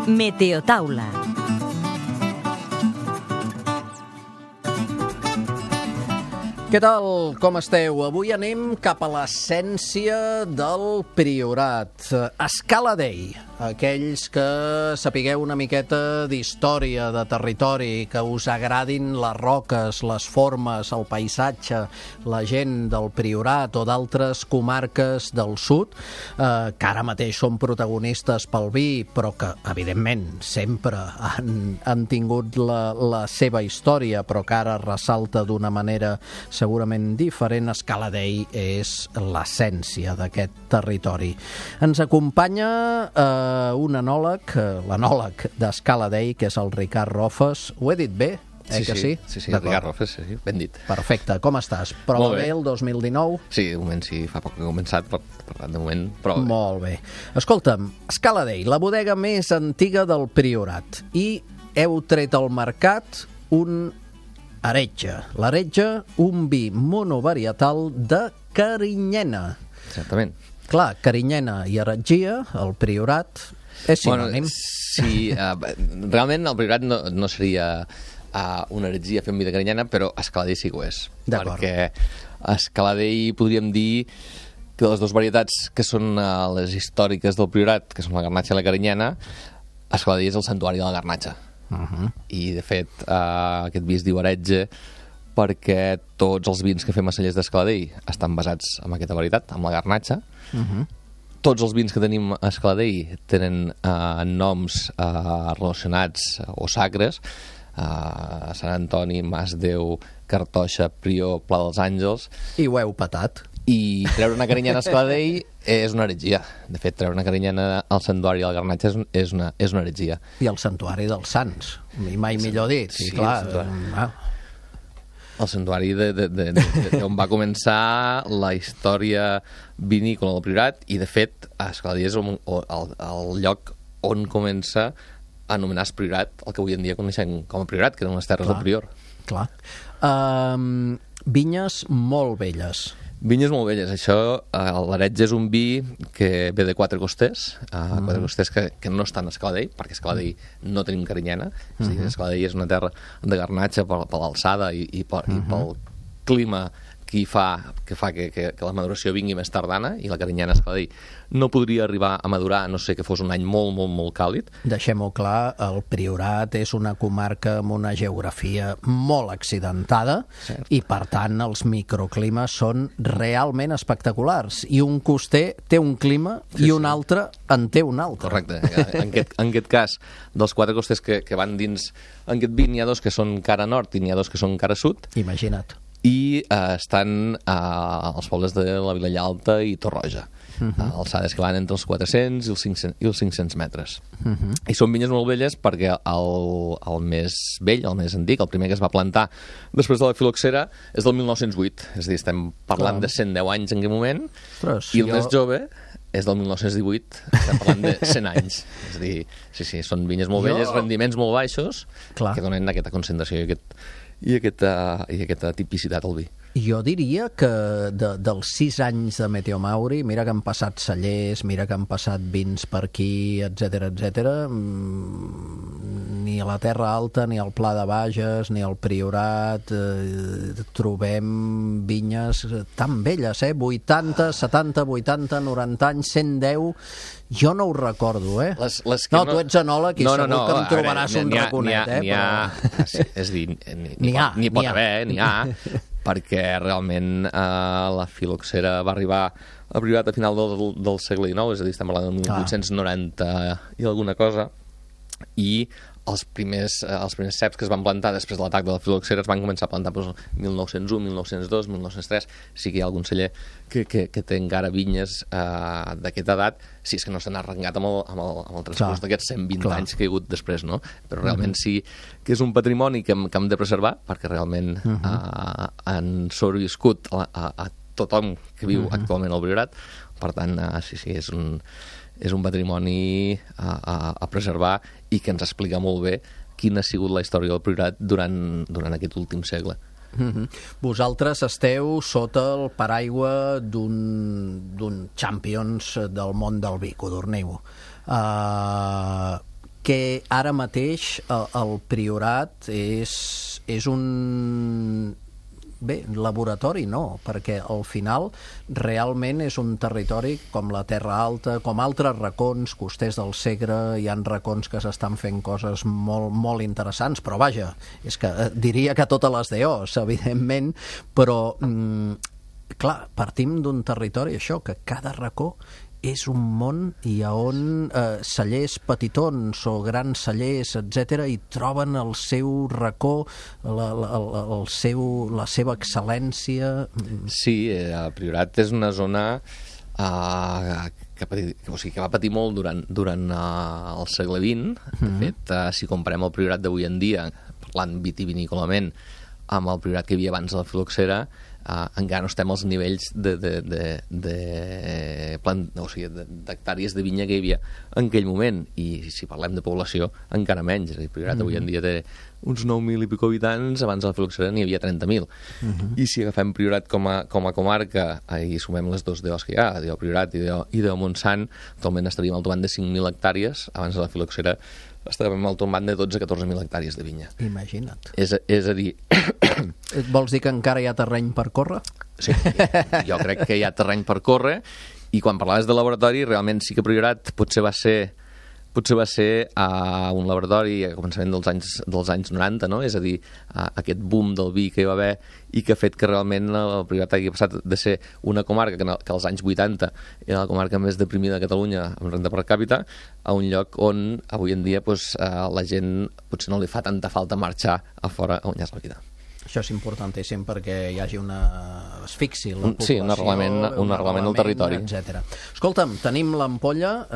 Meteotaula. Què tal? Com esteu? Avui anem cap a l'essència del Priorat. Escala Dei. Aquells que sapigueu una miqueta d'història, de territori, que us agradin les roques, les formes, el paisatge, la gent del Priorat o d'altres comarques del sud, que ara mateix són protagonistes pel vi, però que, evidentment, sempre han tingut la seva història, però que ara ressalta d'una manera segurament diferent. Escala Dei és l'essència d'aquest territori. Ens acompanya un enòleg, l'enòleg d'Escala Dei, que és el Ricard Rofes. Ho he dit bé? Sí, Ricard Rofes, sí, ben dit. Perfecte, com estàs? Prova bé el 2019? Sí, de moment sí, fa poc que he començat, per tant, de moment prova bé. Molt bé. Escolta'm, Escala Dei, la bodega més antiga del Priorat, i heu tret al mercat un Heretge. L'Heretge, un vi monovarietal de Carinyena. Certament. Clar, Carinyena i Heretgia, el Priorat, és sinònim. Sí, realment el Priorat no seria una heretgia fer un vi de Carinyena, però Escala Dei sí que ho és. D'acord. Perquè Escala Dei podríem dir que les dues varietats que són les històriques del Priorat, que són la garnatxa i la Carinyena, Escala Dei és el santuari de la garnatxa. I, de fet, aquest vi es diu Heretge perquè tots els vins que fem a cellers d'Escala Dei estan basats en aquesta varietat, en la garnatxa. Tots els vins que tenim a Escala Dei tenen noms relacionats o sacres, Sant Antoni, Mas Déu, Cartoixa, Prior, Pla dels Àngels. I ho heu patat. I treure una Carinyena a Escala Dei és una heretgia. De fet, treure una Carinyena al santuari de la garnatxa és una heretgia. I el santuari dels Sants, mai millor dit. Sí, clar. El santuari on va començar la història vinícola del Priorat, i de fet a Escala Dei és el lloc on comença a anomenar-se Priorat, el que avui en dia coneixem com a Priorat, que eren les terres del Prior. Clar. Vinyes molt velles. Vinyes molt velles. Això, l'Heretge és un vi que ve de Quatre Costers, Quatre Costers que no estan a Escala Dei, perquè a Escala Dei no tenim Carinyena. És a dir, Escala Dei és una terra de garnatxa per l'alçada i pel clima que fa que la maduració vingui més tardana, i la Carinyena a Escala Dei no podria arribar a madurar, a no ser que fos un any molt, molt, molt càlid. Deixem-ho clar, el Priorat és una comarca amb una geografia molt accidentada. Cert. I, per tant, els microclimes són realment espectaculars. I un coster té un clima i un altre en té un altre. Correcte. En aquest cas, dels Quatre Costers que van dins en aquest vi, n'hi ha dos que són cara nord i n'hi ha dos que són cara sud. Imagina't. I estan als pobles de la Vilella Alta i Torroja, alçades que van entre els 400 i els 500 metres. I són vinyes molt velles perquè el més vell, el més antic, el primer que es va plantar després de la filoxera, és del 1908. És a dir, estem parlant de 110 anys en aquell moment. Ostres, i el més jove és del 1918, estem parlant de 100 anys. És a dir, sí, són vinyes molt velles, rendiments molt baixos, que donen aquesta concentració i aquesta tipicitat al vi. Jo diria que dels 6 anys de Meteo Mauri, mira que han passat cellers, mira que han passat vins per aquí, etc, ni a la Terra Alta, ni al Pla de Bages, ni al Priorat, trobem vinyes tan velles, 80, 70, 80, 90 anys, 110... Jo no ho recordo, tu ets enòleg i segur que em trobaràs un raconet, És a dir, n'hi pot haver, n'hi ha, perquè realment la filoxera va arribar a Priorat a final del segle XIX, és a dir, estem parlant del 1890 i alguna cosa, i els primers ceps que es van plantar després de l'atac de la filoxera es van començar a plantar el 1901, 1902, 1903. Sí que hi ha algun celler que té encara vinyes d'aquesta edat, si és que no s'han arrencat amb el transcurs d'aquests 120 anys que hi ha hagut després, no? Però realment sí que és un patrimoni que hem de preservar, perquè realment han sobreviscut a tothom que viu actualment al Priorat. Per tant, sí, és un patrimoni a preservar i que ens explica molt bé quina ha sigut la història del Priorat durant aquest últim segle. Vosaltres esteu sota el paraigua d'un Champions del món del vi, Codorniu. que ara mateix el Priorat és un... Bé, laboratori no, perquè al final realment és un territori com la Terra Alta, com altres racons, Costers del Segre, hi han racons que s'estan fent coses molt, molt interessants, però vaja, és que diria que totes les DOs, evidentment, però clar, partim d'un territori, això, que cada racó és un món i on cellers petitons o grans cellers, etc., hi troben el seu racó, la seva excel·lència. Sí, el Priorat és una zona que va patir molt durant el segle XX. De fet, si comparem el Priorat d'avui en dia, parlant vitivinícolament, amb el Priorat que hi havia abans de la filoxera, encara no estem als nivells d'hectàrees de vinya que hi havia en aquell moment, i si parlem de població encara menys. El Priorat avui en dia té uns 9.000 i pico habitants, abans de la filoxera n'hi havia 30.000. I si agafem Priorat com a comarca i sumem les dos DOs que hi ha, el Priorat i de Montsant, actualment estaríem al tomant de 5.000 hectàrees, abans de la filoxera estàvem al tomant de 12-14.000 hectàrees de vinya. Imagina't. És a dir... Vols dir que encara hi ha terreny per córrer? Sí, jo crec que hi ha terreny per córrer, i quan parlaves de laboratori, realment sí que Priorat potser va ser un laboratori a començament dels anys 90, no? És a dir, aquest boom del vi que hi va haver i que ha fet que realment el Priorat hagi passat de ser una comarca que als anys 80 era la comarca més deprimida de Catalunya amb renda per càpita, a un lloc on avui en dia la gent potser no li fa tanta falta marxar a fora a guanyar-se la vida. Això és importantíssim perquè hi hagi es fixi la població, sí, un arrelament al territori, etc. Escolta'm, tenim l'ampolla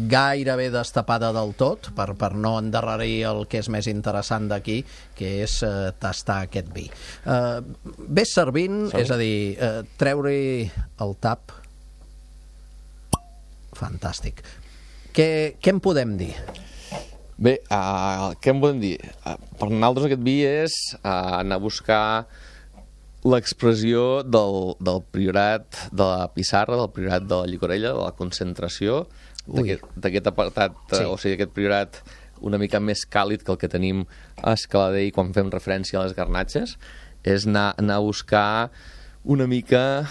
gairebé destapada del tot per no endarrerir el que és més interessant d'aquí, que és tastar aquest vi. Ves servint, és a dir, treure-hi el tap. Fantàstic. Què en podem dir? Bé, què en podem dir? Per nosaltres aquest vi és anar a buscar l'expressió del Priorat de la pissarra, del Priorat de la llicorella, de la concentració, d'aquest apartat, sí. O sigui, aquest Priorat una mica més càlid que el que tenim a Escaladei quan fem referència a les garnatxes, és anar a buscar una mica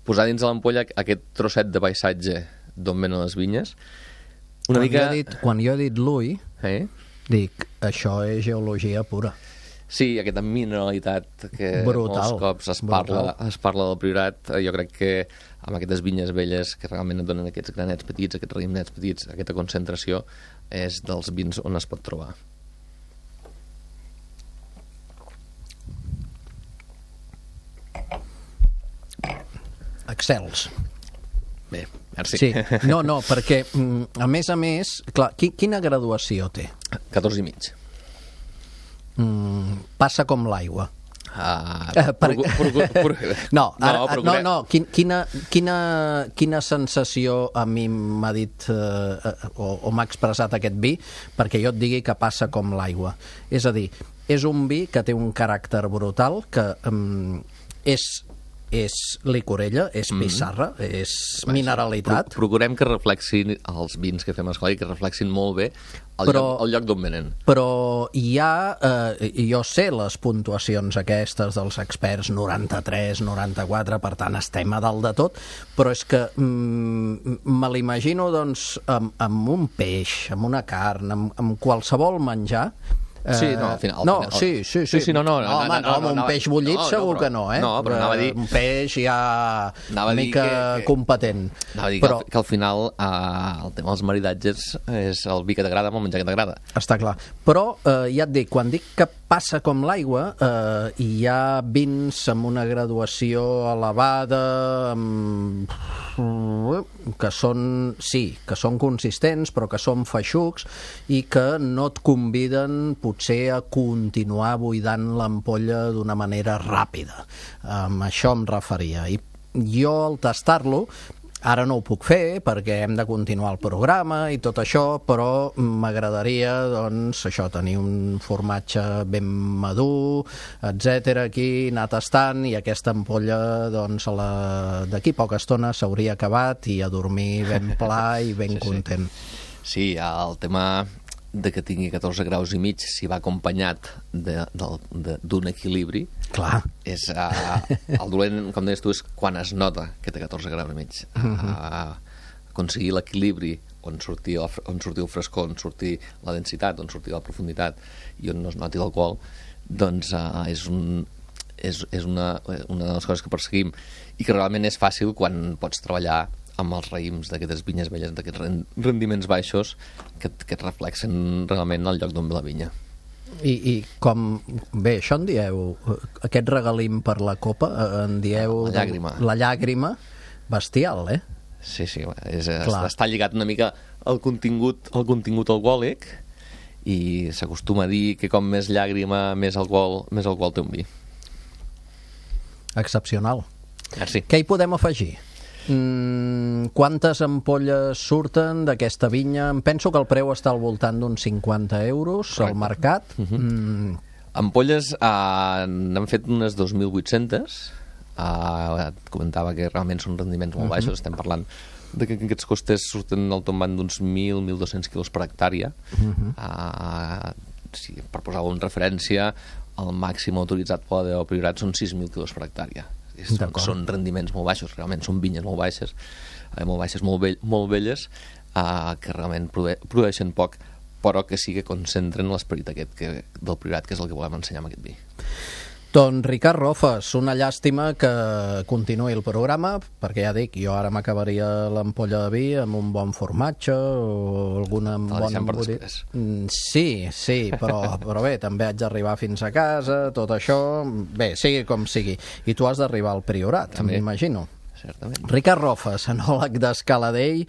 posar dins de l'ampolla aquest trosset de paisatge d'on venen les vinyes. Quan jo he dit l'ull, dic, això és geologia pura. Sí, aquesta mineralitat que brutal, molts cops es parla del Priorat. Jo crec que amb aquestes vinyes velles que realment et donen aquests granets petits, aquests raïmnets petits, aquesta concentració, és dels vins on es pot trobar. Excels. Bé, merci. Sí. No, perquè, a més, clar, quina graduació té? 14 i mig. Passa com l'aigua. Quina sensació a mi m'ha dit o m'ha expressat aquest vi perquè jo et digui que passa com l'aigua? És a dir, és un vi que té un caràcter brutal, que és licorella, és pissarra, és mineralitat. Procurem que reflexin els vins que fem a Escaladei, que reflexin molt bé el lloc d'on venen. Però hi ha, jo sé les puntuacions aquestes dels experts, 93, 94, per tant estem a dalt de tot, però és que me l'imagino doncs amb un peix, amb una carn, amb qualsevol menjar. Sí, no, al final. Sí, amb un peix bullit segur que no, eh? No, però anava a dir... Un peix ja una mica competent. Anava a dir que al final el tema dels maridatges és el vi que t'agrada amb el menjar que t'agrada. Està clar. Però ja et dic, quan dic que passa com l'aigua, hi ha vins amb una graduació elevada, que són consistents, però que són feixucs i que no et conviden potser a continuar buidant l'ampolla d'una manera ràpida. Amb això em referia. I jo, al tastar-lo, ara no ho puc fer perquè hem de continuar el programa i tot això, però m'agradaria, doncs, això, tenir un formatge ben madur, etc. aquí, anar tastant, i aquesta ampolla, doncs, d'aquí poca estona s'hauria acabat i a dormir ben pla i ben content. Sí, el tema de que tingui 14 graus i mig, si va acompanyat d'un equilibri, clar, és el dolent, com deies tu, és quan es nota que té 14 graus i mig. Aconseguir l'equilibri on surti el frescor, on surti la densitat, on surti la profunditat i on no es noti l'alcohol, doncs és una de les coses que perseguim i que realment és fàcil quan pots treballar amb els raïms d'aquestes vinyes velles, d'aquests rendiments baixos que et reflexen realment el lloc d'on ve la vinya. I com... Bé, això en dieu... Aquest regalim per la copa, en dieu... La llàgrima. La llàgrima, bestial, eh? Sí, està lligat una mica al contingut alcohòlic i s'acostuma a dir que com més llàgrima, més alcohol té un vi. Excepcional. Merci. Què hi podem afegir? Quantes ampolles surten d'aquesta vinya? Em penso que el preu està al voltant d'uns 50 euros al mercat. Ampolles n'han fet unes 2.800. Et comentava que realment són rendiments molt baixos. Estem parlant de que aquests costes surten al tombant d'uns 1.000-1.200 quilos per hectàrea. Per posar-ho en referència, el màxim autoritzat per la Priorat són 6.000 quilos per hectàrea. Són rendiments molt baixos, realment són vinyes molt baixes, molt velles, que realment produeixen poc, però que sí que concentren l'esperit aquest del Priorat, que és el que volem ensenyar amb aquest vi. Doncs Ricard Rofes, una llàstima que continuï el programa, perquè ja dic, jo ara m'acabaria l'ampolla de vi amb un bon formatge o alguna bona embotida. Sí, però bé, també haig d'arribar fins a casa, tot això, bé, sigui com sigui. I tu has d'arribar al Priorat, m'imagino. Certament. Ricard Rofes, enòleg d'Escaladei,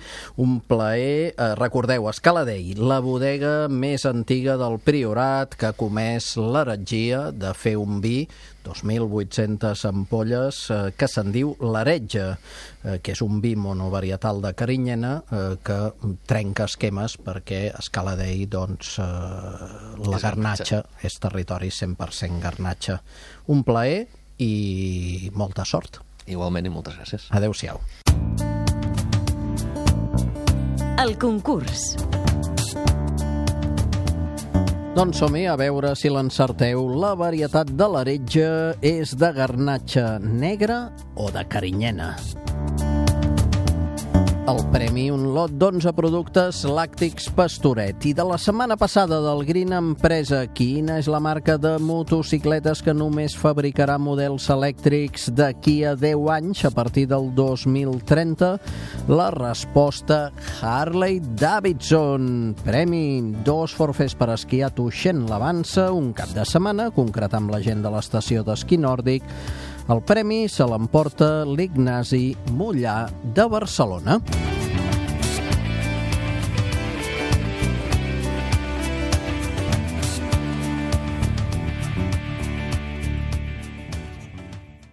un plaer. Recordeu, Escaladei, la bodega més antiga del Priorat, que ha comès l'heretgia de fer un vi, 2.800 ampolles, que se'n diu l'Heretge, que és un vi monovarietal de Carinyena que trenca esquemes perquè Escaladei, doncs, la Garnatxa és territori 100% Garnatxa. Un plaer i molta sort. Igualment i moltes gràcies. Adéu-siau. El concurs. Doncs som-hi a veure si l'encerteu. La varietat de l'Heretge és de Garnatxa negra o de Carinyena? El premi, un lot d'11 productes làctics Pastoret. I de la setmana passada del Green Empresa, quina és la marca de motocicletes que només fabricarà models elèctrics d'aquí a 10 anys, a partir del 2030? La resposta, Harley Davidson. Premi, 2 forfers per esquiar a Tuixén l'Avança, un cap de setmana, concretar amb la gent de l'estació d'esquí nòrdic. El premi se l'emporta l'Ignasi Mollà de Barcelona.